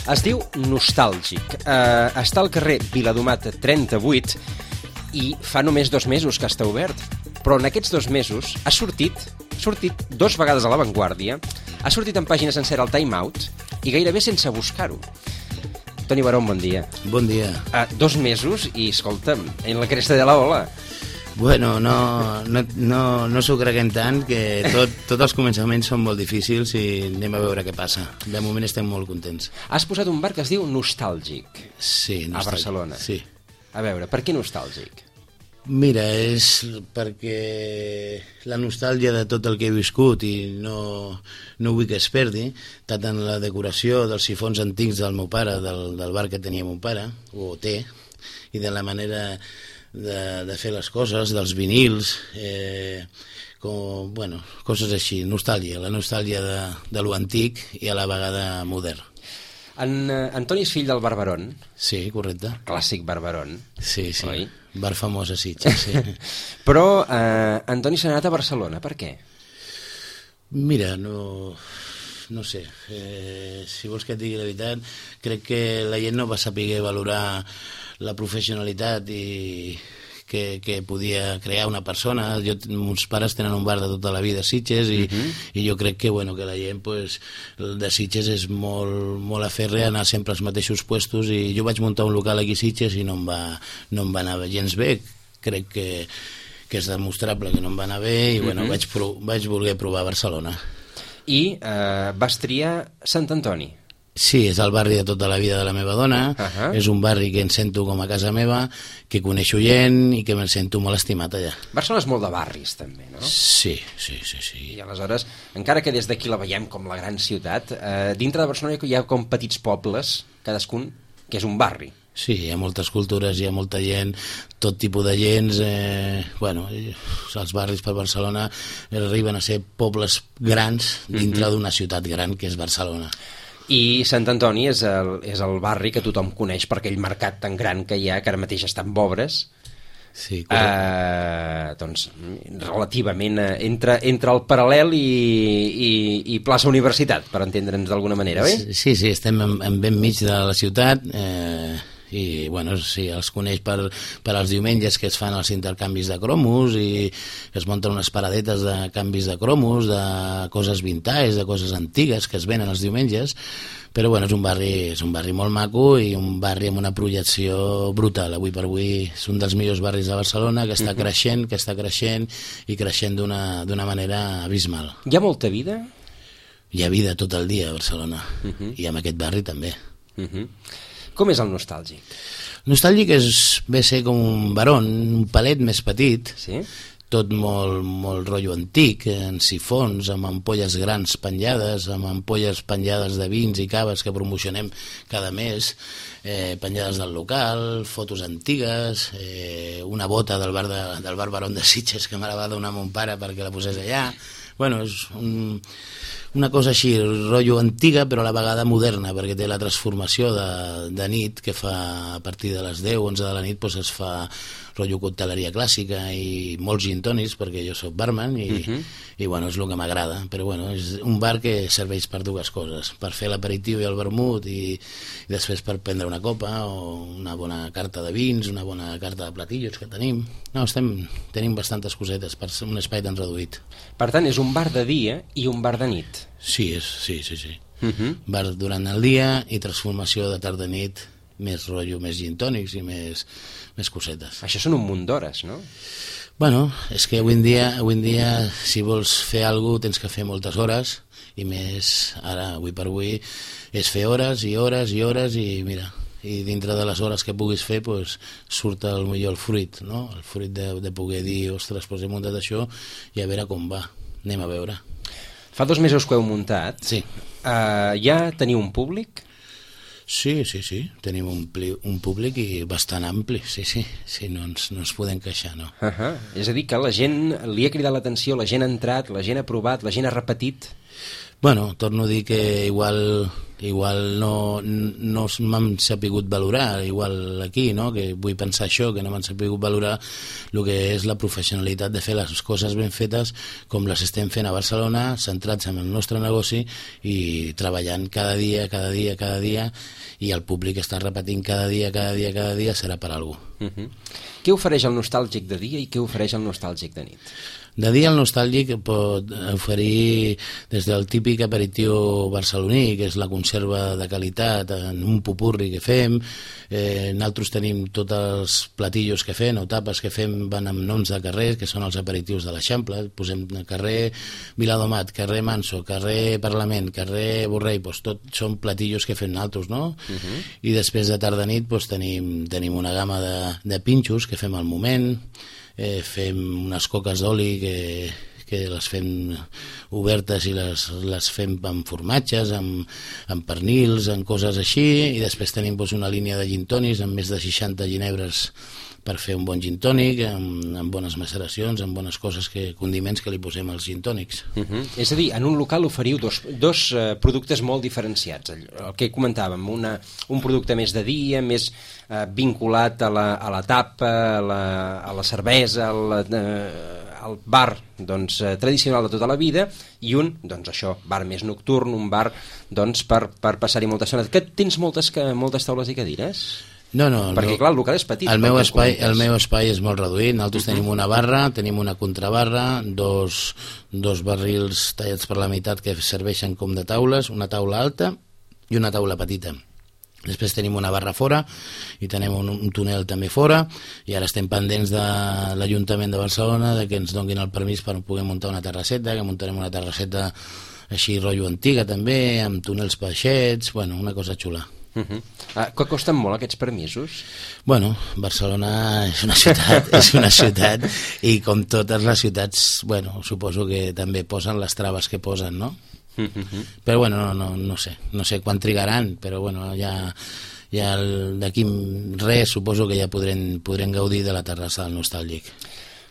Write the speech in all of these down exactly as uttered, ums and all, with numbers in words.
Es diu Nostàlgic. Uh, està al carrer Viladomat trenta-vuit i fa només dos mesos que està obert. Però en aquests dos mesos ha sortit, ha sortit dos vegades a l'avantguàrdia, ha sortit en pàgina sencera al Time Out i gairebé sense buscar-ho. Toni Barón, bon dia. Bon dia. Uh, dos mesos i, escolta'm, en la cresta de la ola. Bueno, no, no, no, no s'ho creguem tant, que tot, tots els començaments són molt difícils i anem a veure què passa. De moment estem molt contents. Has posat un bar que es diu Nostàlgic. Sí, Nostàlgic. A Barcelona. Sí. A veure, per què Nostàlgic? Mira, és perquè la nostàlgia de tot el que he viscut i no, no vull que es perdi, tant en la decoració dels sifons antics del meu pare, del, del bar que tenia meu pare, o té, i de la manera de, de fer les coses, dels vinils, eh, com, bueno, coses així, nostàlgia, la nostàlgia de, de lo antic i a la vegada modern. En uh, Antoni és fill del Barberón. Sí, correcte. Clàssic Barberón. Sí, sí, oi? Bar famós a Sitges, sí. Però eh, Antoni s'ha anat a Barcelona, per què? Mira, no, no sé, eh, si vols que et digui la veritat, crec que la gent no va saber valorar la professionalitat i que, que podia crear una persona. Jo, meus pares tenen un bar de tota la vida a Sitges i, uh-huh. i jo crec que, bueno, que la gent pues, de Sitges és molt, molt aferre a anar sempre als mateixos puestos, i jo vaig muntar un local aquí a Sitges i no em va, no em va anar gens bé. Crec que, que és demostrable que no em va anar bé i bueno, uh-huh. vaig, pro, vaig voler provar Barcelona. I eh, vas triar Sant Antoni. Sí, és el barri de tota la vida de la meva dona, uh-huh. és un barri que em sento com a casa meva, que coneixo gent i que me'n sento molt estimat allà. Barcelona és molt de barris, també, no? Sí, sí, sí. sí. I aleshores, encara que des d'aquí la veiem com la gran ciutat, eh, dintre de Barcelona hi ha com petits pobles, cadascun, que és un barri. Sí, hi ha moltes cultures, hi ha molta gent, tot tipus de gens, eh, bueno, els barris per Barcelona arriben a ser pobles grans dintre uh-huh. d'una ciutat gran que és Barcelona. I Sant Antoni és el, és el barri que tothom coneix per aquell mercat tan gran que hi ha, que ara mateix està en obres. Sí, eh, doncs, relativament eh, entre, entre el Paral·lel i, i, i plaça Universitat, per entendre'ns d'alguna manera, oi? Sí, sí, estem en, en ben mig de la ciutat, eh, i bueno, sí, els coneix per, per als diumenges que es fan els intercanvis de cromos i es munten unes paradetes de canvis de cromos, de coses vintage, de coses antigues que es venen els diumenges, però bueno, és un barri, és un barri molt maco i un barri amb una projecció brutal. Avui per avui és un dels millors barris de Barcelona, que està uh-huh. creixent, que està creixent i creixent d'una, d'una manera abismal. Hi ha molta vida? Hi ha vida tot el dia a Barcelona, uh-huh. i en aquest barri també. Uh-huh. Com és el Nostàlgic? Nostàlgic és ve ser com un barón, un palet més petit, sí? Tot molt, molt rotllo antic, en sifons, amb ampolles grans penjades, amb ampolles penjades de vins i caves que promocionem cada mes, eh, penjades del local, fotos antigues, eh, una bota del bar, de, del bar Barón de Sitges que me la va donar mon pare perquè la posés allà. Bueno, és un, una cosa així, rotllo antiga, però a la vegada moderna, perquè té la transformació de, de nit, que fa a partir de les deu, onze de la nit, doncs es fa rotllo cocteleria clàssica i molts gin tònics, perquè jo soc barman i, uh-huh. i bueno, és el que m'agrada, però bueno, és un bar que serveix per dues coses, per fer l'aperitiu i el vermut i, i després per prendre una copa o una bona carta de vins, una bona carta de platillos que tenim. No, estem, tenim bastantes cosetes per ser un espai tan reduït. Per tant, és un bar de dia i un bar de nit. Sí, és, sí, sí, sí. Uh-huh. Bar durant el dia i transformació de tarda i nit, més rotllo, més gin tònics i més, més cosetes. Això són un munt d'hores, no? Bueno, és que avui en dia, avui en dia si vols fer alguna cosa tens que fer moltes hores, i més ara, avui per avui, és fer hores i hores i hores i mira, i dintre de les hores que puguis fer pues, surt el millor el fruit, no? El fruit de, de poder dir, ostres, pues he muntat això i a veure com va, anem a veure. Fa dos mesos que heu muntat. Sí. Uh, ja teniu un públic? Sí, sí, sí, tenim un, pli, un públic i bastant ampli, sí, sí, sí, no ens, no ens podem queixar, no. Uh-huh. És a dir, que la gent li ha cridat l'atenció, la gent ha entrat, la gent ha provat, la gent ha repetit. Bueno, torno a dir que igual, igual no, no m'han sapigut valorar, igual aquí, no? Que vull pensar això, que no m'han sapigut valorar el que és la professionalitat de fer les coses ben fetes com les estem fent a Barcelona, centrats en el nostre negoci i treballant cada dia, cada dia, cada dia, i el públic està repetint cada dia, cada dia, cada dia, serà per alguna cosa. Uh-huh. Què ofereix el nostàlgic de dia i què ofereix el nostàlgic de nit? De dia el nostàlgic pot oferir des del típic aperitiu barceloní, que és la conserva de qualitat en un popurri que fem. Eh, nosaltres tenim tots els platillos que fem o tapes que fem van amb noms de carrers, que són els aperitius de l'Eixample. Posem carrer Viladomat, carrer Manso, carrer Parlament, carrer Borrell, doncs tot són platillos que fem nosaltres, no? Uh-huh. I després de tarda nit doncs, tenim, tenim una gamma de, de pinxos que fem al moment. Eh, fem unes coques d'oli que, que les fem obertes i les, les fem amb formatges, amb, amb pernils, amb coses així, i després tenim doncs, una línia de gin tònics amb més de seixanta ginebres per fer un bon gin tònic, amb, amb bones maceracions, amb bones coses, que condiments que li posem als gin tònics. Uh-huh. És a dir, en un local oferiu dos, dos uh, productes molt diferenciats. El, el que comentàvem, una, un producte més de dia, més uh, vinculat a la, a la tapa, a la, a la cervesa, al, uh, al bar doncs, uh, tradicional de tota la vida, i un, doncs això, bar més nocturn, un bar doncs, per, per passar-hi moltes zones. Que tens moltes, moltes taules i cadires? No, no, perquè no. Clar, el local és petit. El meu, espai, el meu espai és molt reduït. Nosaltres uh-huh. tenim una barra, tenim una contrabarra, dos, dos barrils tallats per la meitat que serveixen com de taules, una taula alta i una taula petita. Després tenim una barra fora i tenim un, un túnel també fora, i ara estem pendents de l'Ajuntament de Barcelona de que ens donguin el permís per poder muntar una terrasseta, que muntarem una terrasseta així rotllo antiga també, amb túnels peixets, bueno, una cosa xula. Uh-huh. Ah, que costen molt aquests permisos? Bueno, Barcelona és una ciutat, és una ciutat, i com totes les ciutats, bueno, suposo que també posen les traves que posen, no? Uh-huh. Però bueno, no, no, no sé, no sé quan trigaran, però bueno, ja, ja d'aquí res suposo que ja podrem, podrem gaudir de la terrassa del nostàlgic.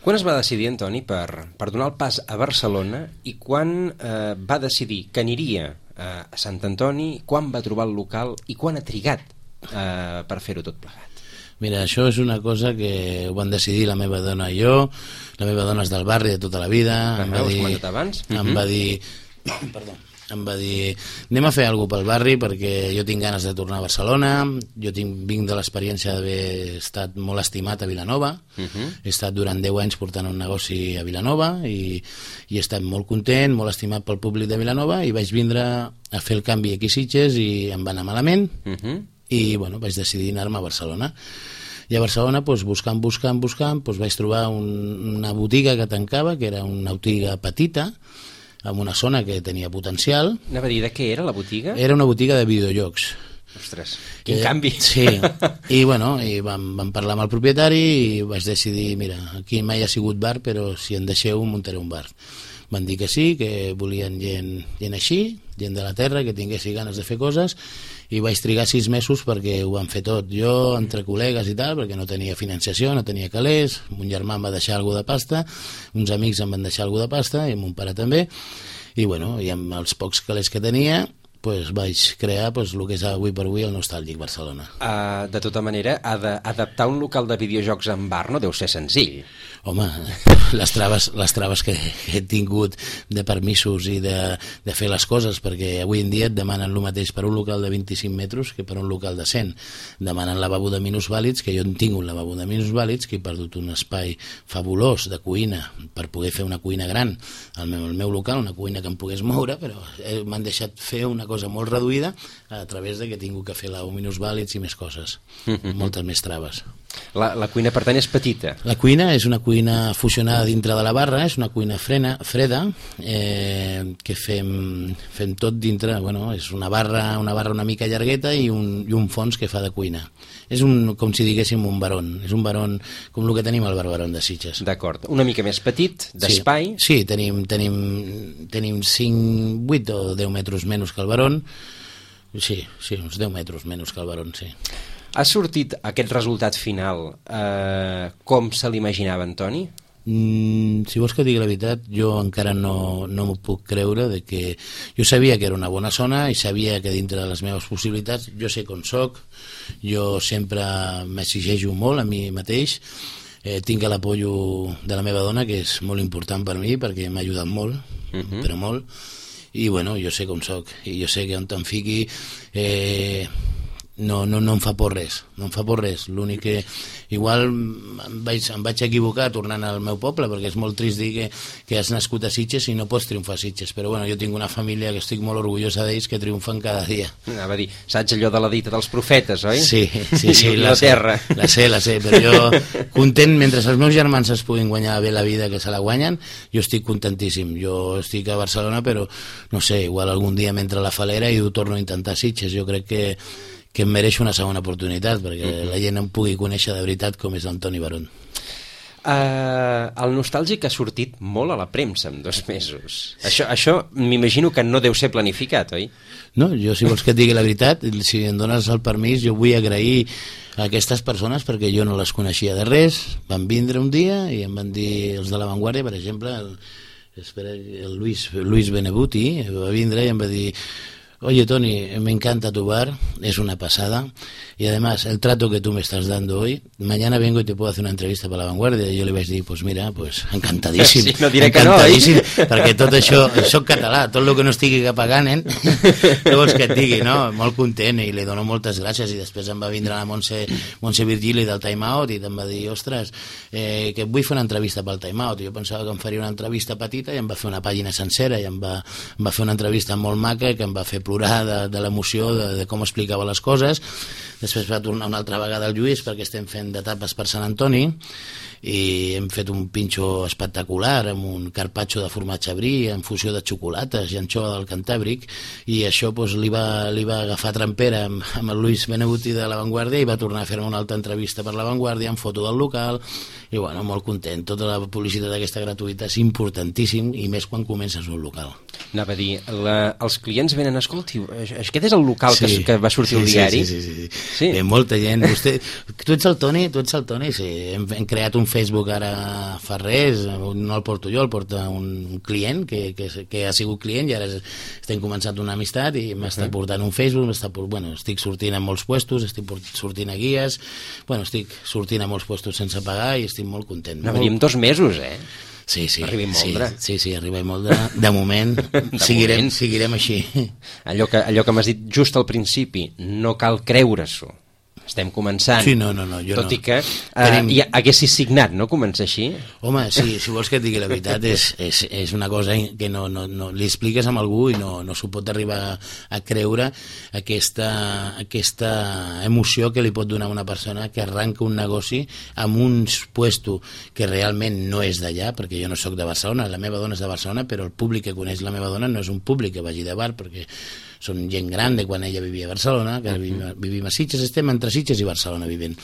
Quan es va decidir, Antoni, per, per donar el pas a Barcelona, i quan eh, va decidir que aniria a Sant Antoni, quan va trobar el local i quan ha trigat eh, per fer-ho tot plegat? Mira, això és una cosa que ho van decidir la meva dona i jo. La meva dona és del barri de tota la vida. Ah, em va ho has dir, comentat abans? Em uh-huh. va dir... Perdó. Em va dir, anem a fer alguna cosa pel barri perquè jo tinc ganes de tornar a Barcelona, jo tinc, vinc de l'experiència d'haver estat molt estimat a Vilanova, uh-huh. he estat durant deu anys portant un negoci a Vilanova i, i he estat molt content, molt estimat pel públic de Vilanova, i vaig vindre a fer el canvi aquí a Sitges i em va anar malament, uh-huh. i bueno, vaig decidir anar-me a Barcelona. I a Barcelona, doncs, buscant, buscant, buscant, doncs, vaig trobar un, una botiga que tancava, que era una botiga petita, en una zona que tenia potencial. Anava a dir, de què era la botiga? Era una botiga de videojocs. Ostres, quin eh, canvi. Sí, i bueno, i vam, vam parlar amb el propietari i vaig decidir, mira, aquí mai ha sigut bar, però si en deixeu muntaré un bar. Van dir que sí, que volien gent, gent així, gent de la terra, que tinguessi ganes de fer coses, i vaig trigar sis mesos perquè ho van fer tot. Jo, entre col·legues i tal, perquè no tenia financiació, no tenia calés, mon germà em va deixar alguna de pasta, uns amics em van deixar alguna de pasta, i mon pare també, i bueno, i amb els pocs calés que tenia, pues vaig crear pues, el que és avui per avui el Nostàlgic Barcelona. Uh, de tota manera, ha d'adaptar un local de videojocs en bar no deu ser senzill. Home, les traves, les traves que he tingut de permisos i de, de fer les coses, perquè avui en dia et demanen el mateix per un local de vint-i-cinc metres que per un local de cent. Demanen lavabo de minusvàlids, que jo en tinc un lavabo de minusvàlids, que he perdut un espai fabulós de cuina per poder fer una cuina gran al meu, al meu local, una cuina que em pogués moure, però m'han deixat fer una cosa molt reduïda a través de que he tingut que fer lavabo minusvàlids i més coses, mm-hmm. moltes més traves. La, la cuina, per tant, és petita. La cuina és una cuina fusionada dintre de la barra, és una cuina frena, freda, eh, que fem, fem tot dintre, bueno, és una barra, una barra una mica llargueta i un, i un fons que fa de cuina. És un, com si diguéssim un barón, és un barón com el que tenim al Barberón de Sitges. D'acord, una mica més petit, d'espai. Sí, sí, tenim, tenim, tenim cinc, vuit o deu metres menys que el barón, sí, sí, uns deu metres menys que el barón, sí. Ha sortit aquest resultat final eh, com se l'imaginava, Antoni? Mm, si vols que digui la veritat, jo encara no, no m'ho puc creure, de que jo sabia que era una bona zona i sabia que dintre de les meves possibilitats, jo sé com soc, jo sempre m'exigeixo molt a mi mateix, eh, tinc l'apoyo de la meva dona, que és molt important per mi, perquè m'ha ajudat molt, uh-huh. però molt, i bueno, jo sé com soc, i jo sé que on te'n fiqui eh, no, no, no em fa por res, no em fa por res. L'únic que igual em vaig, em vaig equivocar tornant al meu poble, perquè és molt trist dir que, que has nascut a Sitges i no pots triomfar a Sitges, però bueno, jo tinc una família que estic molt orgullosa d'ells, que triomfen cada dia. Anava a dir, saps allò de la dita dels profetes, oi? Sí, sí, sí, la, la terra. La sé, la sé, però jo content, mentre els meus germans es puguin guanyar bé la vida, que se la guanyen, jo estic contentíssim. Jo estic a Barcelona, però no sé, igual algun dia m'entra la falera i ho torno a intentar a Sitges. Jo crec que que em mereix una segona oportunitat, perquè uh-huh. la gent em pugui conèixer de veritat com és Antoni Barón. Uh, el nostàlgic ha sortit molt a la premsa en dos mesos. Això, això m'imagino que no deu ser planificat, oi? No, jo si vols que et digui la veritat, si em dones el permís, jo vull agrair a aquestes persones perquè jo no les coneixia de res, van vindre un dia i em van dir els de La Vanguardia, per exemple, el, espera, el Luis, Luis Benebuti va vindre i em va dir: oye, Tony, me encanta tu bar, es una pasada, y además el trato que tú me estás dando hoy, mañana vengo y te puedo hacer una entrevista para La Vanguardia. I jo li vaig dir, pues mira, pues encantadíssim, sí, no diré encantadíssim, que no, eh? perquè tot això, soc català, tot el que no estigui cap a Ganen, què vols que et digui, no? Molt content, i li dono moltes gràcies, i després em va vindre la Montse, Montse Virgili del Time Out i em va dir, ostres, eh, que vull fer una entrevista pel Time Out. Jo pensava que em faria una entrevista petita i em va fer una pàgina sencera i em va, em va fer una entrevista molt maca que em va fer plorar de, de l'emoció de, de com explicava les coses. Després va tornar una altra vegada al Lluís, perquè estem fent d'etapes per Sant Antoni, i hem fet un pinxo espectacular amb un carpaccio de formatge brie en fusió de xocolates i anxova del Cantàbric, i això doncs, li, va, li va agafar trempera amb, amb el Luis Benebuti de La Vanguardia i va tornar a fer una altra entrevista per La Vanguardia amb foto del local, i bueno, molt content. Tota la publicitat aquesta gratuïta és importantíssim, i més quan comences un local. Anava a dir, la, els clients venen, escolti, aquest és el local sí, que, que va sortir sí, al diari? Sí, sí, sí, sí. sí. Eh, molta gent. Vostè, tu ets el Toni? Tu ets el Toni? Sí, hem, hem creat un Facebook ara fa res, no el porto jo, el porta un client que, que, que ha sigut client, i ara estem començant una amistat i m'està portant un Facebook, m'està, bueno, estic sortint a molts puestos, estic sortint a guies, bueno, estic sortint a molts puestos sense pagar i estic molt content. No, molt... dos mesos, eh? Sí, sí, arriba sí, sí, sí, arriba molt de, de moment, de seguirem, moment. seguirem així. Allò que, allò que m'has dit just al principi, no cal creure-s'ho. Estem començant, sí, no, no, no, jo tot no. i que uh, Tenim... ja haguessis signat, no?, començar així. Home, sí, si vols que et digui la veritat, és, és, és una cosa que no, no, no li expliques a algú i no, no s'ho pot arribar a creure, aquesta, aquesta emoció que li pot donar una persona que arranca un negoci amb un puesto que realment no és d'allà, perquè jo no sóc de Barcelona, la meva dona és de Barcelona, però el públic que coneix la meva dona no és un públic que vagi de bar, perquè són gent gran de quan ella vivia a Barcelona, que uh-huh. vivim, vivim a Sitges, estem entre Sitges i Barcelona vivint.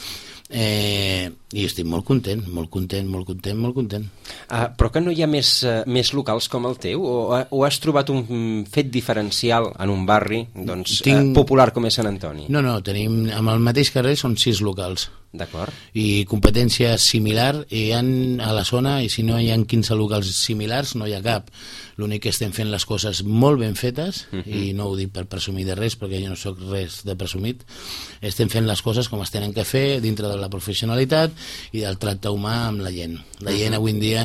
Eh, i estic molt content, molt content, molt content, molt content. Uh, però que no hi ha més, uh, més locals com el teu? O, o has trobat un fet diferencial en un barri doncs, Tinc... uh, popular com és Sant Antoni? No, no, tenim, amb el mateix carrer són sis locals. D'acord. I competència similar hi ha a la zona, i si no hi ha quinze locals similars no hi ha cap. L'únic que estem fent les coses molt ben fetes, uh-huh. i no ho dic per presumir de res, perquè jo no sóc res de presumit, estem fent les coses com es tenen que fer dintre de la professionalitat i del tracte humà amb la gent. La gent avui en dia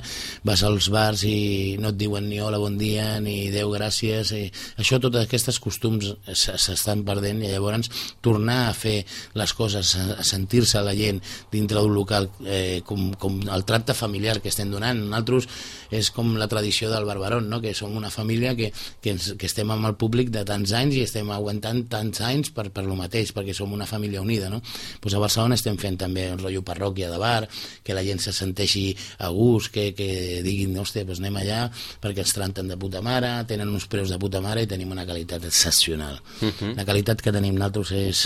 vas als bars i no et diuen ni hola, bon dia, ni Déu, gràcies, i això, totes aquestes costums s'estan perdent, i llavors tornar a fer les coses, a sentir-se la gent dintre d'un local, eh, com, com el tracte familiar que estem donant. Nosaltres és com la tradició del Barberón, no?, que som una família que, que, ens, que estem amb el públic de tants anys i estem aguantant tants anys per, per lo mateix, perquè som una família unida, no? Pues a Barcelona estem fent també un rotllo parròquia de bar, que la gent se senteixi a gust, que, que diguin, hòstia, pues anem allà, perquè els tracten de puta mare, tenen uns preus de puta mare i tenim una qualitat excepcional. Uh-huh. La qualitat que tenim nosaltres és...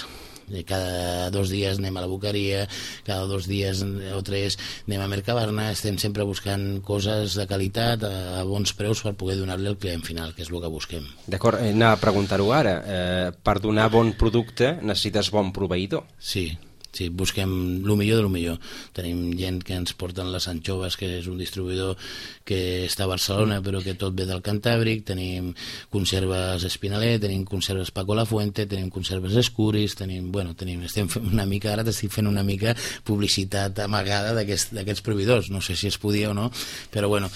cada dos dies anem a la Boqueria, cada dos dies o tres anem a Mercabarna, estem sempre buscant coses de qualitat a bons preus per poder donar-li al client final, que és el que busquem. D'acord, anava a preguntar-ho ara. Eh, per donar bon producte necessites bon proveïdor. Sí, sí, busquem el millor de lo millor. Tenim gent que ens porten les anxoves, que és un distribuïdor que està a Barcelona però que tot ve del Cantàbric, tenim conserves Espinaler, tenim conserves Paco Lafuente, tenim conserves Escuris, tenim, bueno, tenim, estem fent una mica, ara t'estic fent una mica publicitat amagada d'aquests aquest, proveïdors, no sé si es podia o no, però bueno,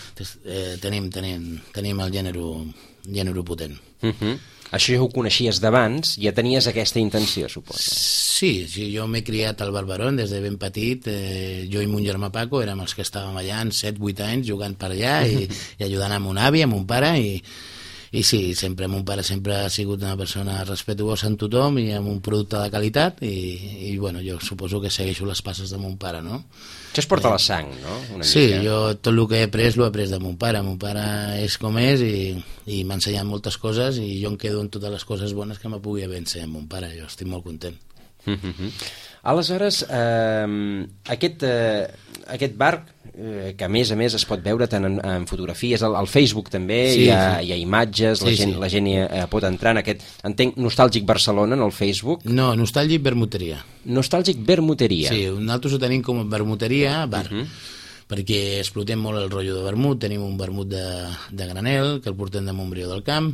eh, tenim, tenim, tenim el gènere, gènere potent. Uh-huh. Això ja ho coneixies d'abans, ja tenies aquesta intenció, suposo. Sí, sí, jo m'he criat al Barberón des de ben petit, eh, jo i mon germà Paco érem els que estàvem allà en set vuit anys jugant per allà i, i ajudant a mon avi, a mon pare, i, i sí, sempre mon pare sempre ha sigut una persona respetuosa amb tothom i amb un producte de qualitat i, i bueno, jo suposo que segueixo les passes de mon pare, no? Això es porta a la sang, no? Una sí, mica. Jo tot el que he après l'he après de mon pare. Mon pare és com és i, i m'ha ensenyat moltes coses i jo em quedo en totes les coses bones que me pugui haver ensenyat mon pare. Jo estic molt content. Mm-hmm. Aleshores, eh, aquest, eh, aquest bar, eh, que a més a més es pot veure tant en, en fotografies, al, al Facebook també, sí, hi, ha, sí. hi ha imatges, sí, la gent, sí. la gent hi, eh, pot entrar en aquest, entenc, Nostàlgic Barcelona, en el Facebook. No, Nostàlgic Vermuteria. Nostàlgic Vermuteria. Sí, nosaltres ho tenim com a Vermuteria bar. Uh-huh. Perquè explotem molt el rotllo de vermut, tenim un vermut de, de granel, que el portem de Montbrió del Camp,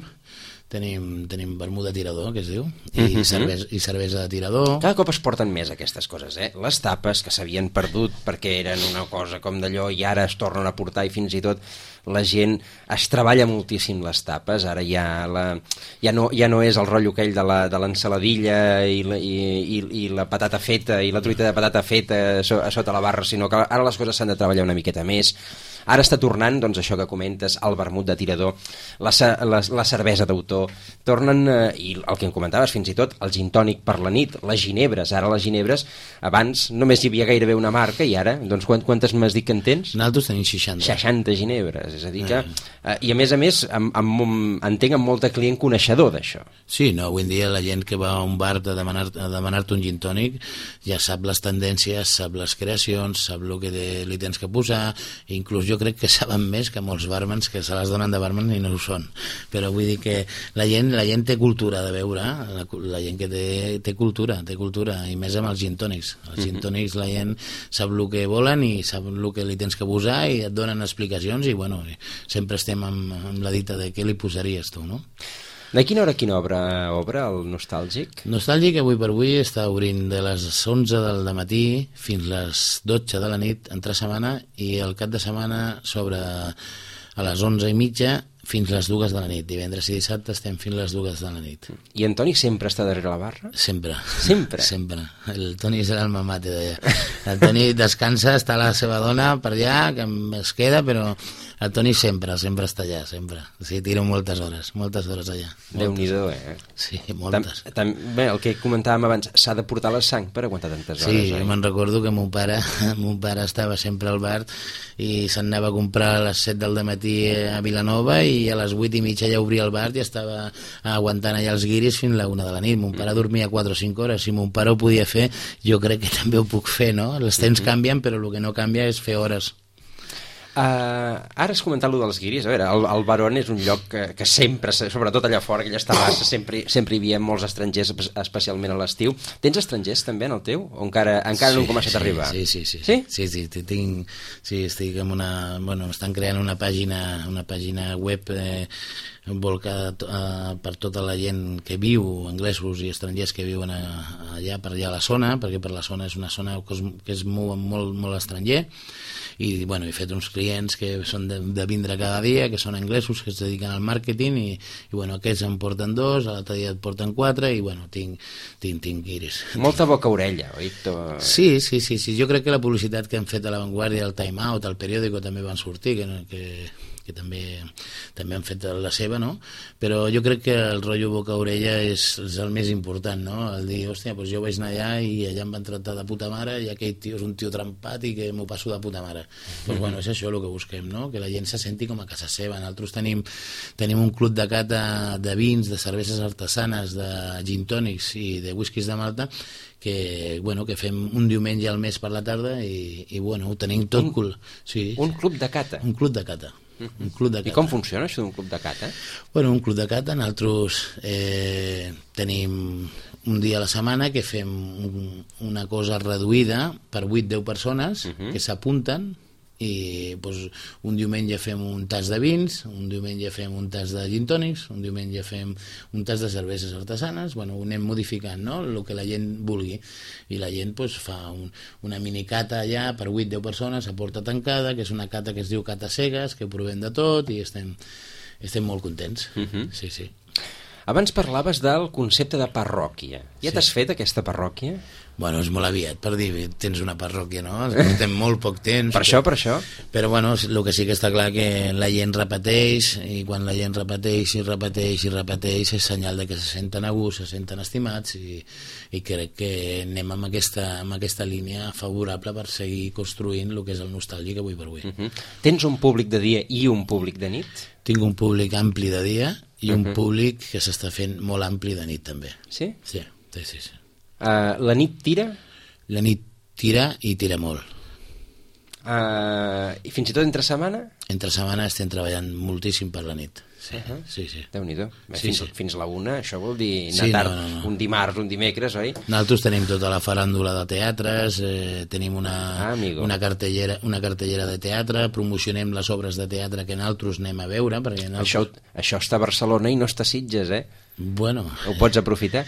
tenim, tenim vermut de tirador, que es diu, i, uh-huh. cervesa, i cervesa de tirador. Cada cop es porten més aquestes coses, eh? Les tapes, que s'havien perdut perquè eren una cosa com d'allò, i ara es tornen a portar, i fins i tot la gent es treballa moltíssim les tapes. Ara ja, la, ja, no, ja no és el rotllo aquell de la, de l'ensaladilla i, la, i, i, i la patata feta, i la truita de patata feta a, so, a sota la barra, sinó que ara les coses s'han de treballar una miqueta més. Ara està tornant, doncs, això que comentes, el vermut de tirador, la, la, la cervesa d'autor, tornen, eh, i el que em comentaves fins i tot, el gin tònic per la nit, les ginebres. Ara les ginebres, abans només hi havia gairebé una marca, i ara, doncs, quantes m'has dit que en tens? Nosaltres tenim seixanta. seixanta ginebres, és a dir que... Eh, I a més a més, amb, amb, entenc amb molta client coneixedor d'això. Sí, no, avui en dia la gent que va a un bar a demanar, a demanar-te un gin tònic ja sap les tendències, sap les creacions, sap el que de, li tens que posar, inclús jo crec que saben més que molts barmans que se les donen de barman i no ho són, però vull dir que la gent, la gent té cultura de beure, la, la gent que té, té cultura té cultura, i més amb els gin tònics. Els gin tònics la gent sap el que volen i sap el que li tens que posar i et donen explicacions i bueno, sempre estem amb, amb la dita de què li posaries tu, no? De quina hora a quina obra obre el Nostàlgic? Nostàlgic avui per avui està obrint de les onze del matí fins les dotze de la nit entre setmana, i el cap de setmana s'obre a les onze i mitja fins les dues de la nit. Divendres i dissabte estem fins les dues de la nit. I en Toni sempre està darrere la barra? Sempre. Sempre? Sempre. El Toni és l'alma mate d'allà. El Toni descansa, està la seva dona per allà, que es queda, però el Toni sempre, sempre està allà, sempre. O sigui, tiro moltes hores, moltes hores allà. Déu-n'hi-do, eh? Sí, moltes. Tam, tam, bé, el que comentàvem abans, s'ha de portar la sang per aguantar tantes hores, sí, oi? Sí, me'n recordo que mon pare, mon pare estava sempre al bar i se'n anava a comprar a les set del matí a Vilanova i a les vuit i mitja ja obria el bar i estava aguantant allà els guiris fins a la una de la nit. Mon pare dormia quatre o cinc hores. Si mon pare ho podia fer, jo crec que també ho puc fer, no? Els temps canvien, però el que no canvia és fer hores. Uh, ara has comentat allò dels guiris. A veure, el, el Barón és un lloc que, que sempre, sobretot allà fora, aquella terrassa, sempre, sempre hi havia molts estrangers, especialment a l'estiu. Tens estrangers també en el teu? O encara, encara sí, no han començat sí, a arribar? Sí, sí, sí. Sí? Sí, sí, sí, tinc, sí estic amb una... Bueno, estan creant una pàgina, una pàgina web eh, volcada eh, per tota la gent que viu, anglesos i estrangers que viuen a, allà per allà a la zona, perquè per la zona és una zona que es, que es mou molt, molt estranger, i bueno, he fet uns clients que són de, de vindre cada dia, que són anglesos, que es dediquen al màrqueting, i, i bueno, aquests em porten dos, l'altre dia et porten quatre, i bueno, tinc, tinc, tinc guiris. Molta boca-orella, oi? Sí, sí, sí, sí, jo crec que la publicitat que han fet a La Vanguardia, el Time Out, el periòdico també van sortir, que, que, que també, també han fet la seva, no? Però jo crec que el rotllo boca-orella és, és el més important, no? El dir, hòstia, doncs jo vaig anar allà i allà em van tractar de puta mare i aquell tio és un tio trampat i que m'ho passo de puta mare. Doncs bueno, és això el que busquem, no? Que la gent se senti com a casa seva. Nosaltres tenim, tenim un club de cata de vins, de cerveses artesanes, de gin tònics i de whiskies de Malta, que, bueno, que fem un diumenge al mes per la tarda i, i bueno, ho tenim tot un, cool. Sí. Un club de cata? Un club de cata. Un club de cata. I com funciona això d'un club de cata? Bueno, un club de cata, nosaltres eh, tenim un dia a la setmana que fem un, una cosa reduïda per vuit a deu persones uh -huh. que s'apunten i doncs, un diumenge fem un tas de vins, un diumenge fem un tas de gin tònics, un diumenge fem un tas de cerveses artesanes, bueno, ho anem modificant, no?, el que la gent vulgui, i la gent doncs, fa un, una minicata allà per vuit a deu persones a porta tancada, que és una cata que es diu Cata Cegues, que provem de tot i estem, estem molt contents. Uh -huh. Sí, sí. Abans parlaves del concepte de parròquia. Ja Sí. t'has fet aquesta parròquia? Bueno, és molt aviat per dir, tens una parròquia, no? Portem molt poc temps. Per això, per això? Però bueno, el que sí que està clar que la gent repeteix, i quan la gent repeteix i repeteix i repeteix és senyal de que se senten a gust, se senten estimats, i, i crec que anem amb aquesta, amb aquesta línia favorable per seguir construint el que és el nostàlgic avui per avui. Uh -huh. Tens un públic de dia i un públic de nit? Tinc un públic ampli de dia i un uh Uh-huh. públic que s'està fent molt ampli de nit també. Sí? Sí, sí, sí, sí. Uh, la nit tira? La nit tira i tira molt. Uh, I fins i tot entre setmana? Entre setmana estem treballant moltíssim per la nit. Sí, Uh-huh. sí, sí. Déu-n'hi-do. Sí, fins, sí. fins la una, això vol dir Sí, anar tard. no, no, no. Un dimarts, un dimecres, oi? Nosaltres tenim tota la faràndula de teatres, eh, tenim una, Ah, amigo. una, cartellera, una cartellera de teatre, promocionem les obres de teatre que nosaltres anem a veure. Perquè nosaltres... Això, això està a Barcelona i no està a Sitges, eh? Bueno, Ho pots aprofitar?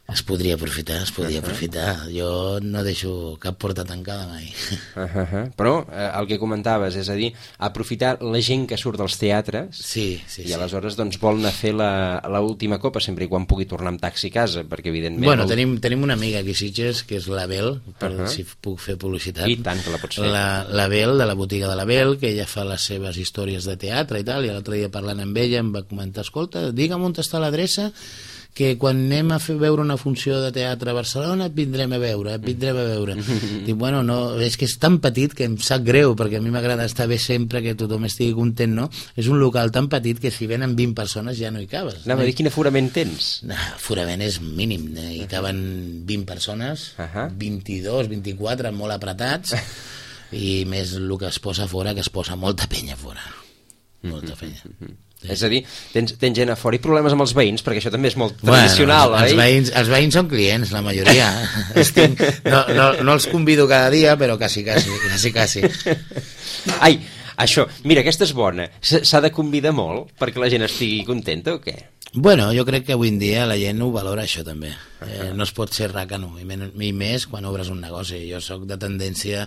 es podria aprofitar, es podria aprofitar. Jo no deixo cap porta tancada mai. Uh -huh. Però eh, el que comentaves, és a dir, aprofitar la gent que surt dels teatres Sí, sí, i sí. aleshores doncs, vol anar a fer la, la última copa sempre i quan pugui tornar amb taxi a casa, perquè evidentment... Bueno, el... tenim, tenim una amiga aquí a Sitges, que és la Bel, per Uh-huh. si puc fer publicitat. I tant que la pots fer. La, la Bel, de la botiga de la Bel, que ella fa les seves històries de teatre i tal, i l'altre dia parlant amb ella em va comentar, escolta, digue'm on està l'adreça, que quan anem a fer veure una funció de teatre a Barcelona et vindrem a veure, et vindrem a veure. Dic, bueno, no, és que és tan petit que em sap greu, perquè a mi m'agrada estar bé sempre, que tothom estigui content, no? És un local tan petit que si venen vint persones ja no hi cabes. Anava a dir, quin aforament tens? No, forament és mínim, eh? Hi caben vint persones, Ahà. vint-i-dos, vint-i-quatre, molt apretats, i més el que es posa fora, que es posa molta penya fora. Molta penya. Sí. És a dir, tens, tens gent a fora i problemes amb els veïns, perquè això també és molt tradicional, bueno, els, oi? els, veïns, els veïns són clients, la majoria. Estic, no, no, no els convido cada dia, però quasi, quasi, quasi, quasi. Ai, això, mira, aquesta és bona. S- S'ha de convidar molt perquè la gent estigui contenta o què? Bueno, jo crec que avui en dia la gent ho valora, això també. Eh, no es pot ser racano, i, men i més quan obres un negoci. Jo sóc de tendència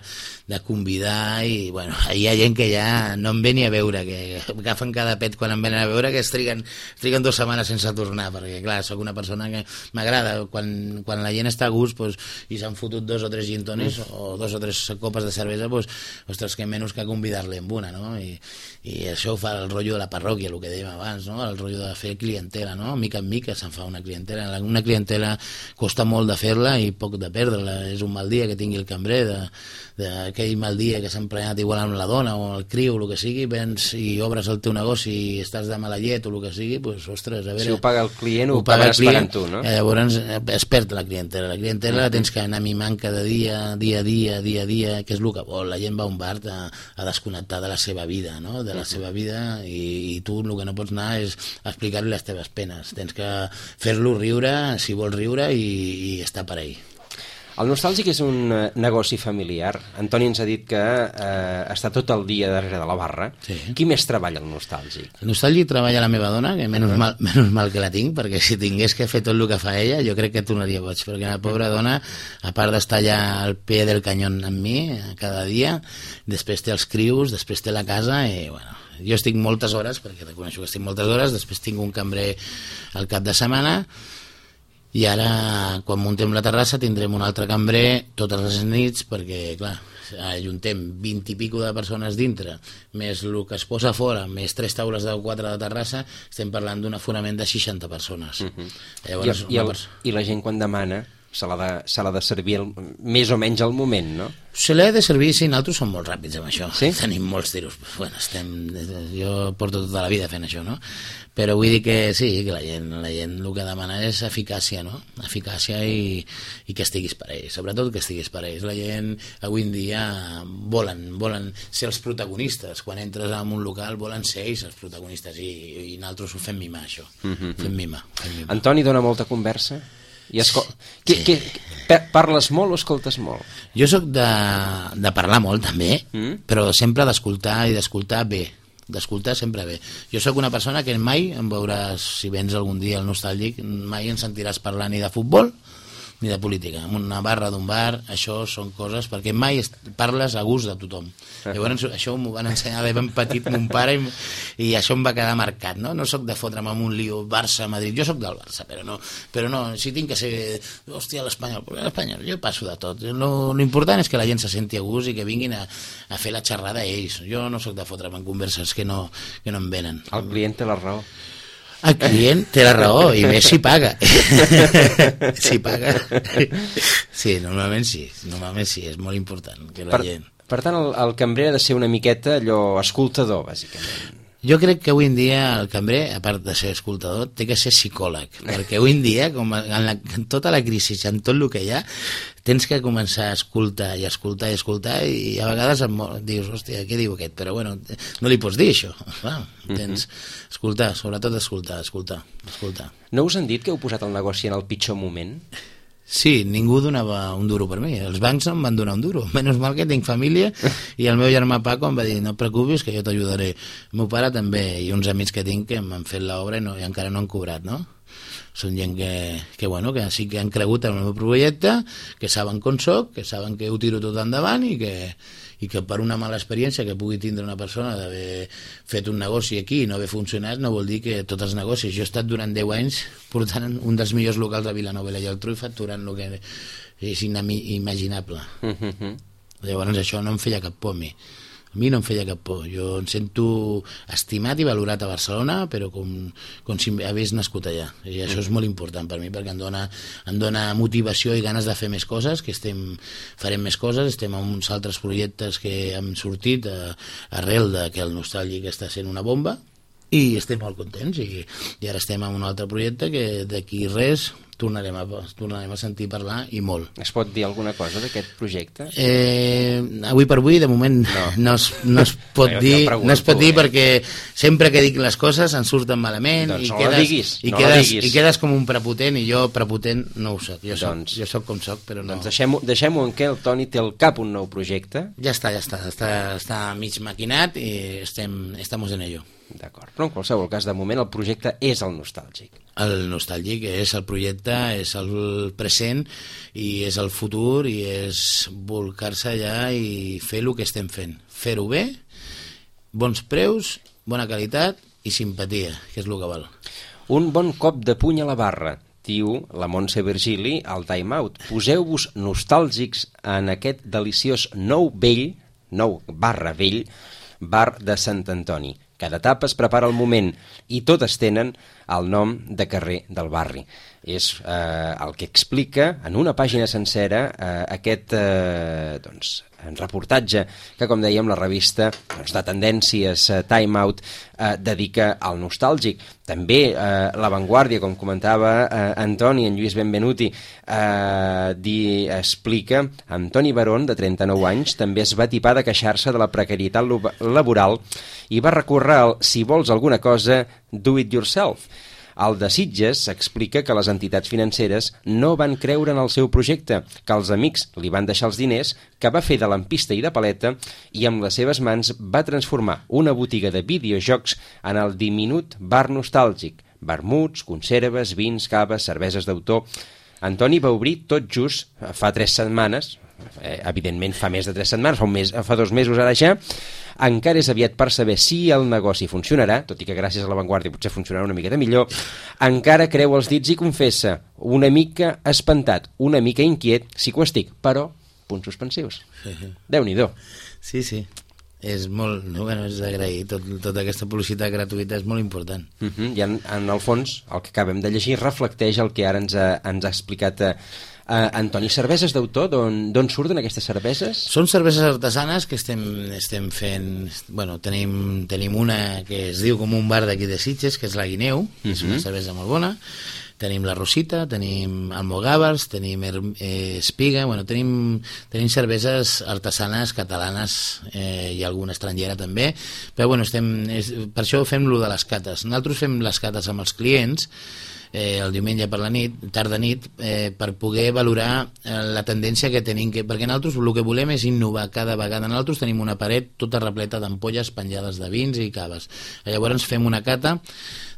de convidar i, bueno, hi ha gent que ja no em ve ni a veure, que agafen cada pet quan em venen a veure, que es triguen, es triguen dues setmanes sense tornar, perquè, clar, sóc una persona que m'agrada. Quan, quan la gent està a gust pues, i s'han fotut dos o tres gin tònics mm. o dos o tres copes de cervesa, pues, ostres, que menys que convidar-li amb una, no? I, i això ho fa el rotllo de la parròquia, el que dèiem abans, no? El rotllo de fer clientela, no? Mica en mica se'n fa una clientela. Una clientela costa molt de fer-la i poc de perdre-la. És un mal dia que tingui el cambrer, d'aquell mal dia que s'ha emprenyat igual amb la dona o el criu, o el que sigui, vens i obres el teu negoci i estàs de mala llet o el que sigui, doncs, ostres, a veure... Si ho paga el client, ho, ho paga el pagaràs pagant client, tu, no? Eh, llavors es perd la clientela. La clientela la tens que anar mimant cada dia, dia a dia, dia a dia, que és el que vol. La gent va a un bar a, a desconnectar de la seva vida, no? De la seva vida, i, i tu el que no pots anar és explicar-li les teves penes. Tens que fer-lo riure, si vols riure, i, i estar per ell. El Nostàlgic és un eh, negoci familiar. Antoni ens ha dit que eh, està tot el dia darrere de la barra. Sí. Qui més treballa al Nostàlgic? El Nostàlgic treballa la meva dona, que menys, uh -huh. mal, menys mal que la tinc, perquè si tingués que fer tot el que fa ella, jo crec que tornaria boig, perquè la pobra dona, a part d'estar allà al peu del canyón amb mi cada dia, després té els crius, després té la casa, i bueno, jo estic moltes hores, perquè reconeixo que estic moltes hores, després tinc un cambrer al cap de setmana, i ara, quan muntem la terrassa, tindrem un altre cambrer totes les nits, perquè, clar, ajuntem vint i pico de persones dintre, més el que es posa fora, més tres taules de quatre de terrassa, estem parlant d'un aforament de seixanta persones. Uh -huh. Llavors, I, i, el, pers I la gent quan demana se l'ha de, se l'ha de servir el, més o menys al moment, no? Se l'ha de servir, sí, nosaltres som molt ràpids amb això. Sí? Tenim molts tiros. Bueno, estem, jo porto tota la vida fent això, no? Però vull dir que sí, que la gent, la gent el que demana és eficàcia, no? Eficàcia i, i que estiguis per ells, sobretot que estiguis per ells. La gent avui en dia volen, volen ser els protagonistes. Quan entres en un local volen ser ells els protagonistes i, i nosaltres ho fem mimar, això. Mm-hmm. Fem mimar, fem mimar. Antoni dona molta conversa? I escol... sí. que, que, parles molt o escoltes molt? Jo sóc de, de parlar molt també, mm? però sempre d'escoltar i d'escoltar bé, d'escoltar sempre bé. Jo sóc una persona que mai em veuràs, si vens algun dia al Nostàlgic, mai em sentiràs parlar ni de futbol ni de política. En una barra d'un bar, això són coses, perquè mai parles a gust de tothom. Llavors això m'ho van ensenyar de ben petit mon pare i, i això em va quedar marcat, no? No soc de fotre'm amb un lío Barça-Madrid, jo sóc del Barça, però no, però no, si tinc que ser, hòstia, l'Espanyol, l'Espanyol, jo passo de tot. Lo, lo important és que la gent se senti a gust i que vinguin a, a fer la xerrada ells. Jo no sóc de fotre'm en converses que no, que no em venen. El client té la raó. El client té la raó, i més si paga. Si paga. Sí, normalment sí, normalment sí, és molt important que la per, gent... Per tant, el, el cambrer ha de ser una miqueta allò escoltador, bàsicament. Jo crec que avui en dia el cambrer, a part de ser escoltador, té que ser psicòleg, perquè avui en dia, com en, la, en tota la crisi, en tot el que hi ha, tens que començar a escoltar i escoltar i escoltar, i a vegades em dius, hòstia, què diu aquest? Però bueno, no li pots dir això. Clar, tens escoltar, sobretot escoltar, escoltar, escoltar. No us han dit que heu posat el negoci en el pitjor moment? Sí, ningú donava un duro per mi. Els bancs em van donar un duro. Menys mal que tinc família, i el meu germà Paco em va dir, no et preocupis que jo t'ajudaré. El meu pare també, i uns amics que tinc que m'han fet l'obra i, no, i encara no han cobrat, no? Són gent que, que, bueno, que sí que han cregut en el meu projecte, que saben com soc, que saben que ho tiro tot endavant i que, i que per una mala experiència que pugui tindre una persona d'haver fet un negoci aquí i no haver funcionat no vol dir que tots els negocis. Jo he estat durant deu anys portant un dels millors locals de Vilanova i la Geltrú i facturant el que és inimaginable. Mm-hmm. Llavors això no em feia cap por a mi. A mi no em feia cap por. Jo em sento estimat i valorat a Barcelona, però com, com si hagués nascut allà. I això és molt important per mi, perquè em dona, em dona motivació i ganes de fer més coses, que estem, farem més coses, estem en uns altres projectes que hem sortit a, arrel de que el Nostàlgic està sent una bomba, i estem molt contents, i, i ara estem en un altre projecte que d'aquí res tornarem a, tornarem a sentir parlar, i molt. Es pot dir alguna cosa d'aquest projecte? Eh, avui per avui, de moment, no, no, es, no es pot jo, dir, jo no es pot dir, eh? Perquè sempre que dic les coses en surten malament, doncs i, no quedes, diguis, i, no quedes, i quedes com un prepotent, i jo prepotent no ho soc. Jo soc, doncs, jo soc com soc, però no... Doncs deixem-ho deixem en què el Toni té al cap un nou projecte. Ja està, ja està, està, està mig maquinat i estem, estamos en ello. D'acord, però en qualsevol cas, de moment el projecte és el Nostàlgic. El Nostàlgic és el projecte, és el present i és el futur, i és volcar-se allà i fer el que estem fent. Fer-ho bé, bons preus, bona qualitat i simpatia, que és el que val. Un bon cop de puny a la barra, diu la Montse Virgili al Time Out. Poseu-vos nostàlgics en aquest deliciós nou vell, nou barra vell, bar de Sant Antoni. Cada etapa es prepara el moment i totes tenen el nom de carrer del barri. És eh, el que explica en una pàgina sencera eh, aquest eh, doncs, reportatge que, com dèiem, la revista doncs, de tendències eh, Time Out eh, dedica al nostàlgic. També eh, La Vanguardia, com comentava eh, Antoni, en Lluís Benvenuti, eh, di, explica Antoni Barón, de trenta-nou anys, també es va tipar de queixar-se de la precarietat laboral i va recórrer al si vols alguna cosa, do it yourself. El de Sitges explica que les entitats financeres no van creure en el seu projecte, que els amics li van deixar els diners, que va fer de lampista i de paleta i amb les seves mans va transformar una botiga de videojocs en el diminut bar nostàlgic. Vermuts, conserves, vins, caves, cerveses d'autor. Antoni va obrir tot just fa tres setmanes, eh, evidentment fa més de tres setmanes, fa, un mes, fa dos mesos ara ja. Encara és aviat per saber si el negoci funcionarà, tot i que gràcies a La Vanguardia potser funcionarà una miqueta millor. Encara creu els dits i confessa, una mica espantat, una mica inquiet, sí que ho estic, però punts suspensius. Déu-n'hi-do. Sí, sí. és molt, bueno, és d'agrair, tot, tota aquesta publicitat gratuïta és molt important. Uh -huh. I en, en el fons, el que acabem de llegir reflecteix el que ara ens ha, ens ha explicat eh, Uh, Antoni, cerveses d'autor, d'on surten aquestes cerveses? Són cerveses artesanes que estem, estem fent... Bueno, tenim, tenim una que es diu com un bar d'aquí de Sitges, que és la Guineu, uh-huh. És una cervesa molt bona. Tenim la Rosita, tenim almogàvers, tenim eh, espiga, bueno, tenim, tenim cerveses artesanes catalanes eh, i alguna estrangera també, però bueno, estem, és, per això fem lo de les cates. Nosaltres fem les cates amb els clients, Eh, el diumenge per la nit, tarda nit, eh, per poder valorar eh, la tendència que tenim, que, perquè nosaltres el que volem és innovar cada vegada. Nosaltres tenim una paret tota repleta d'ampolles penjades de vins i caves. Llavors fem una cata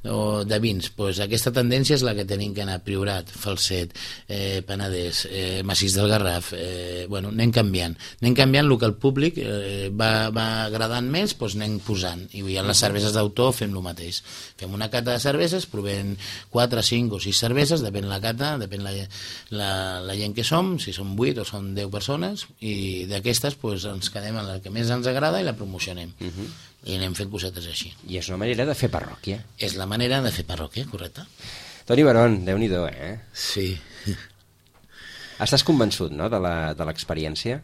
o de vins, pues aquesta tendència és la que tenim que anar: Priorat, Falset, eh, Penedès, eh, Massís del Garraf, eh, bueno, anem canviant anem canviant el que el públic eh, va, va agradant més, doncs anem posant, i en les cerveses d'autor fem el mateix, fem una cata de cerveses, provem quatre, cinc o sis cerveses, depèn la cata, depèn la, la, la gent que som, si som vuit o són deu persones, i d'aquestes pues, ens quedem en la que més ens agrada i la promocionem. Uh-huh. I anem fent cosetes així. I és una manera de fer parròquia. És la manera de fer parròquia, correcte. Toni Barón, Déu-n'hi-do, eh? Sí. Estàs convençut, no?, de l'experiència?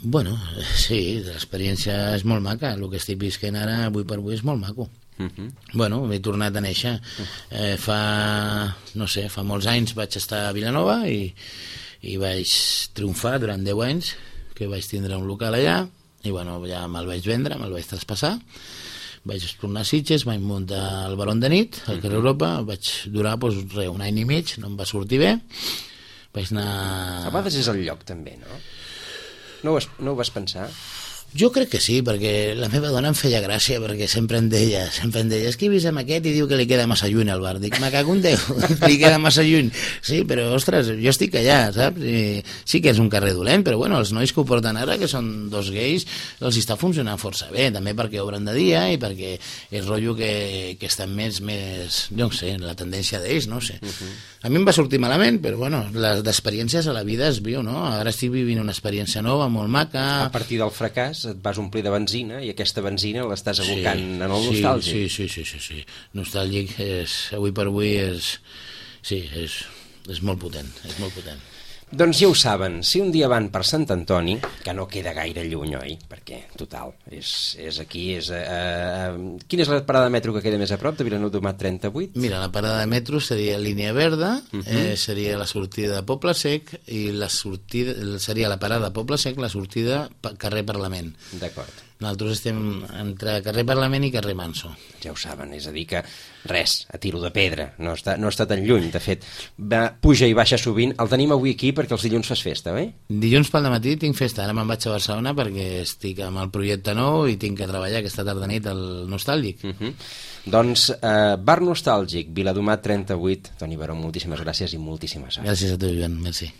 Bueno, sí, l'experiència és molt maca. El que estic visquent ara, avui per avui, és molt maco. Uh-huh. Bueno, he tornat a néixer. Eh, fa, no sé, fa molts anys vaig estar a Vilanova i, i vaig triomfar durant deu anys, que vaig tindre un local allà, i bueno, ja me'l vaig vendre, me'l vaig traspassar, vaig tornar a Sitges, vaig muntar el Barón de nit al carrer Europa, vaig durar doncs, re, un any i mig, no em va sortir bé, vaig anar... A vegades és el lloc també, no? No ho vas, no ho vas pensar? Jo crec que sí, perquè la meva dona em feia gràcia, perquè sempre em deia, sempre em deia, és que he vist amb aquest i diu que li queda massa lluny al bar. Dic, me cago en Déu, li queda massa lluny. Sí, però, ostres, jo estic allà, saps? I sí que és un carrer dolent, però bueno, els nois que ho porten ara, que són dos gais, els està funcionant força bé, també perquè obren de dia i perquè és rotllo que, que estan més, més, jo no sé, la tendència d'ells, no sé. Uh-huh. A mi em va sortir malament, però bueno, les experiències a la vida es viu, no? Ara estic vivint una experiència nova, molt maca. A partir del fracàs et vas omplir de benzina i aquesta benzina l'estàs abocant sí, en el nostàlgic. Sí, sí, sí, sí, sí. Nostàlgic és, avui per avui és, sí, és, és molt potent, és molt potent. Doncs ja ho saben, si un dia van per Sant Antoni, que no queda gaire lluny, oi? Perquè, total, és, és aquí, és... Uh, uh, quina és la parada de metro que queda més a prop de Vilanova d'Omat trenta-vuit? Mira, la parada de metro seria Línia Verda, uh-huh. eh, seria la sortida de Poble Sec, i la sortida seria la parada de Poble Sec, la sortida carrer Parlament. D'acord. Nosaltres estem entre carrer Parlament i carrer Manso. Ja ho saben, és a dir que res, a tiro de pedra, no està, no està tan lluny, de fet, va, puja i baixa sovint. El tenim avui aquí perquè els dilluns fas festa, oi? Dilluns pel matí tinc festa, ara me'n vaig a Barcelona perquè estic amb el projecte nou i tinc que treballar aquesta tarda nit al Nostàlgic. Uh-huh. Doncs, eh, Bar Nostàlgic, Viladomat trenta-vuit. Toni Baró, moltíssimes gràcies i moltíssima sort. Gràcies a tu, Joan, merci.